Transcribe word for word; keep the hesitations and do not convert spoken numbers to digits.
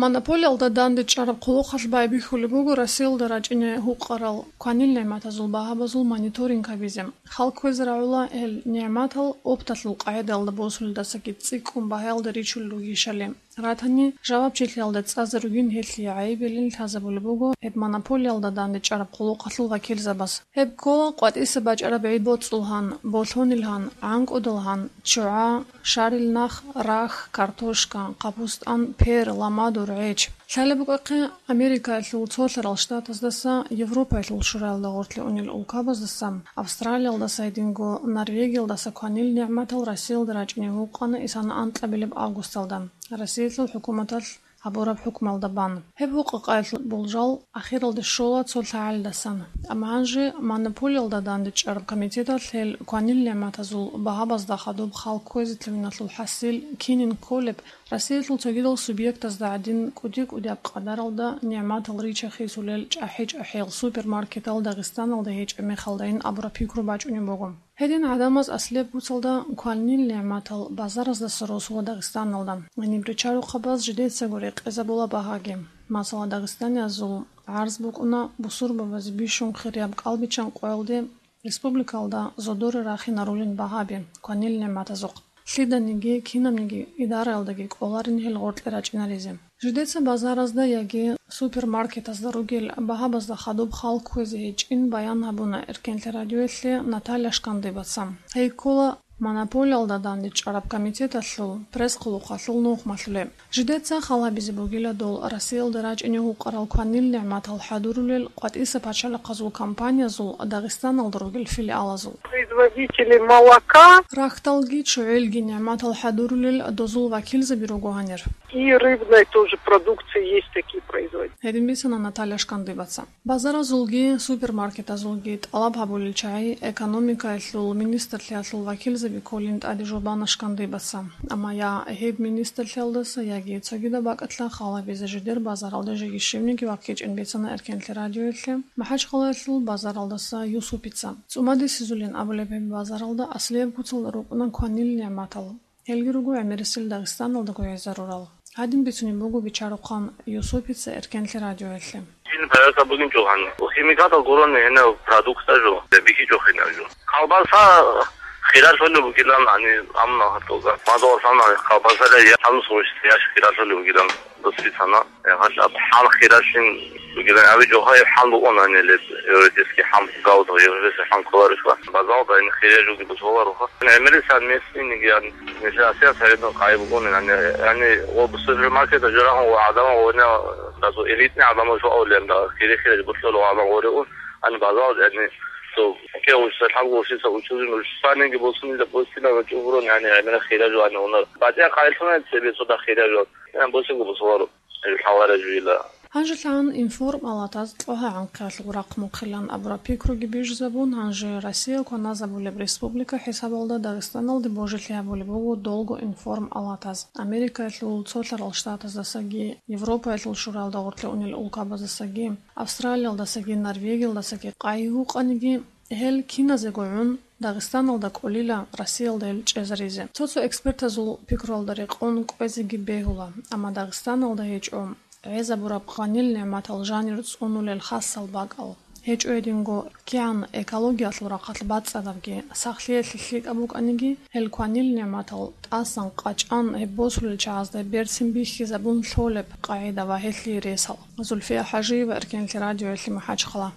Монополиялда дандечӀараб хъулухъалъ байбихьулеб буго Россиялда рачӀине гьукъарал кванил нигӀматазул багьабазул мониторинг гьабизе. Хал кквезе рагӀула гьел нигӀматал опталъул къагӀидаялда босулелдасаги цӀикӀкӀун багьаялда ричулел ругищали. Ратани, жавабчилъиялда цӀазе ругин гьелъие гӀайибилин лъазабулеб буго гьеб монополиялда дандечӀараб хъулухъалъул вакилзабаз. Гьеб ккола къватӀиса бачӀараб гӀи-боцӀулгьан, болъонилгьан, гӀанкӀудалгьан, ччугӀа, шарил нах, рахь, картошка, къапустӀан, пер, ламадур, гӀеч. Лъалеб букӀахъе, Америкаялъул цолъарал штатаздаса, Европаялъул шураялда гъорлъе унел улкабаздаса, Австралиялдаса гьединго Норвегиялдаса кванил нигӀматал Россиялда рачӀине гьукъана исана анкьабилеб августалда Россиялъул хӀукуматалъ гьабураб хӀукмалда бан. Гьеб гьукъа-къайдалъул болжал ахиралде щола цо лъагӀалидасан. Амма гьанже монополиялда дандечӀараб комитеталъ гьел кванил нигӀматазул багьабазда хадуб хал кквезетлъугьиналъул хӀасил кинин кколеб, Россиялъул цогидал субъектазда гӀадин кӀуди-кӀудияб къадаралда нигӀматал рича-хисулел чӀахӀи-чӀахӀиял супермаркетал Дагъистаналда гьечӀеб мехалдайин абураб пикру бачӀунеб буго. Гьедин гӀадамаз аслияб куцалда кванил нигӀматал базараздаса росула Дагъистаналда. Гьаниб ричарухъабаз жидецаго рекъезабула багьаги. Масала, дагъистаниязул гӀарз букӀуна бусурбабазе бищун хирияб кӀалбиччан къоялде республикалда зодоре рахинарулин багьаби кванил нигӀматазухъ. Лъиданиги, кинабниги идараялдаги кӀоларин гьел гъоркье рачӀинаризе. Жидеца базаразда яги супермаркетазда ругел багьабазда хадуб хал кквезе гьечӀин баян гьабуна Эркенлъи радиоялъе Наталья Шкандыбаца. Гьей ккола монополиялда дандечӀараб комитеталъул пресс-хъулухъалъул нухмалъулеб. Жидеца хал гьабизе бугила дол Россиялда рачӀине гьукъарал кванил нигӀматал хӀадурулел къватӀиса пачалихъазул компаниязул Дагъистаналда ругел филиалазул. Производители молока. Рахьдалги ччугӀилги нигӀматал хӀадурулел дозул вакилзаби руго гьанир. И рыбной тоже продукции есть такие производители. Гьедин бицана Наталья Шкандыбаца. Базаразулги супермаркетазулги тӀалаб гьабулел чагӀи экономикаялъул министрлъиялъул вакилзаби кколин тӀаде жубана Шкандыбаца. Амма я гьеб министрлъиялдаса, яги цогидаб бакӀалъа хал гьабизе жидер базаралда жеги щибниги ваккичӀин бицана Эркенлъи радиоялъе МахӀачхъалаялъул базаралдаса Юсупица. ЦӀумадисезулин абулеб гьеб базаралда аслияб куцалда рукӀуна кванил нигӀматал. Гьелги руго гӀемерисел Дагъистаналдаго гӀезарурал. Гьадин бицунеб буго бичарухъан Юсупица Эркенлъи радиоялъе. Жин проверка бугин чӀухӀан. Химикатал гурони гьенав продукта жо, бихьичӀо гьенав жо. Колбаса хиралъулеб бугилан, ани, амма гьатӀуга. Мадугъал сана колбасала я хӀамус гъущ яш хиралъулеб бугилан досрицана. Гьалаб хӀал хиралъин бугилан, аби жо гьай хӀал бугъун гьанилеб, теоретически хӀам гавдо, европейский хӀам кколарухъа. Базалда ин хирал жоги бусуларуха. ГӀемерисел местный нигиян, нилъер асият гьаридун къайб бугун, яни, яни, ва супермаркетда журагьун ва гӀадамал гъорни, дазу элитный гӀадамал жо авлен, да, хири-хири бутлъула гӀадамал гъоригун, ани базал, яни, цо, ке гъушса, лъаб гъушиса, учузин, учусаниги босун, да, босина ва чӀугурун, яни, гӀемера хирал жо, ани, унар. БатӀа къайлъуна цебе цо да хирал жо. Яни, босиго бусулару. ГьанжелъагӀан информалатаз кьогьа гӀанхъиялъул рахъ мухъилан абураб пикруги бижизабун, гьанже Россия кваназабулеб республика хӀисабалда Дагъистаналде божилъи гьабулеб буго долго информалатаз. Америкаялъул цолъарал штатаздасаги, Европаялъул шураялда гъорлъе унел улкабаздасаги, Австралиялдасаги, Норвегиялдасаги къайи гьукъаниги, гьел киназего гӀун Дагъистаналда кӀолила Россиялда гьел чӀезаризе. Цо-цо экспертазул пикруялда рекъон кӀвезеги бегьула, амма Дагъистаналда гьечӀо гӀезабураб къванил нигӀматал жанир цӀунулел хасал бакӀал. ГьечӀо гьединго кигӀан экологиялъул рахъалъ бацӀцӀадабги, сахлъиялъе лъикӀаб букӀаниги, гьел кванил нигӀматал тӀасан къачӀан гьеб босулел чагӀазда берцин бихьизабун лъолеб къагӀида ва гьелъие ресал. Зульфия ХӀажиева, Эркенлъи радиоялъе МахӀачхъала.